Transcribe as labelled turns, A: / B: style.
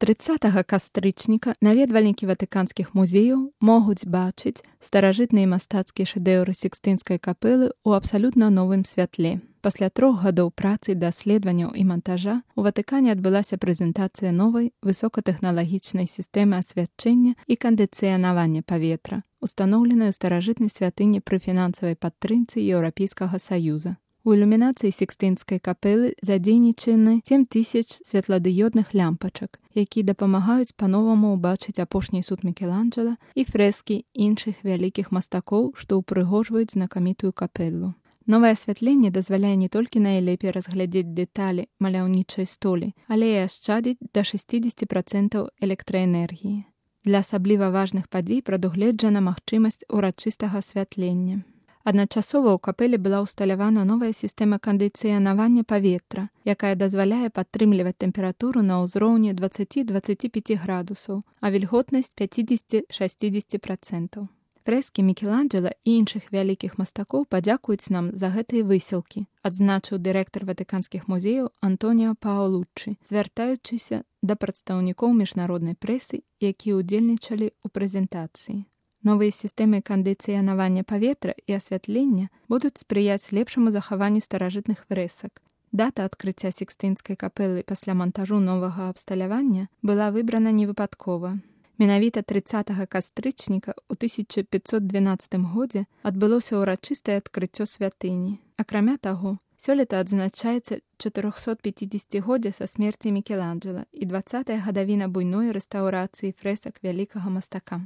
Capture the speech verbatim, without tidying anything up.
A: трыццатага кастрычніка наведвальнікі ватыканскіх музеяў могуць бачыць старажытныя мастацкія шэдэўры Сікстынскай капэлы ў абсалютна новым святле. Пасля трох гадоў працы, даследаванняў і мантажа у Ватыкане адбылася прэзентацыя новай высокатэхналагічнай сістэмы асвячэння і кандыцыянавання паветра, устаноўленай у старажытнай святыні пры фінансавай падтрымцы Еўрапейскага Саюза. У ілюмінацыі Сікстынскай капэлы задзейнічаны сем тысяч святладыёдных лямпачак, якія дапамагаюць па-новаму ўбачыць апошні суд Мікеланджэла і фрэскі іншых вялікіх мастакоў, што ўпрыгожваюць знакамітую капэлу. Новае асвятленне дазваляе не толькі найлепей разглядзець дэталі маляўнічай столі, але і ашчадзіць да шэсцідзесят працэнтаў электраэнергіі. Для асабліва важных падзей прадугледжана магчымасць урачыстага асвятлення. Адначасова ў капэле была ўсталявана новая сістэма кандыцыянавання паветра, якая дазваляе падтрымліваць тэмпературу на ўзроўні дваццаць да дваццаці пяці градусаў, а вільготнасць пяцьдзесят да шэсцідзесяти працэнтаў. Фрэскі Мікеланджэла і іншых вялікіх мастакоў падзякуюць нам за гэтыя высілкі, адзначыў дырэктар ватыканскіх музеяў Антоніо Паолуччы, звяртаючыся да прадстаўнікоў міжнароднай прэсы, якія ўдзельнічалі ў прэзентацыі. Новыя сістэмы кандыцыянавання паветра і асвятлення будуць спрыяць лепшаму захаванню старажытных фрэсак. Дата адкрыцця Сікстынскай капэлы пасля мантажу новага абсталявання была выбрана невыпадкова. Менавіта трыццатага кастрычніка ў тысяча пятьсот дванаццатым годзе адбылося ўрачыстае адкрыццё святыні. Акрамя таго, сёлета адзначаецца чатырохсотпяцідзесяцігоддзе са смерці Мікеланджэла і дваццатая гадавіна буйной рэстаўрацыі фрэсак вялікага мастака.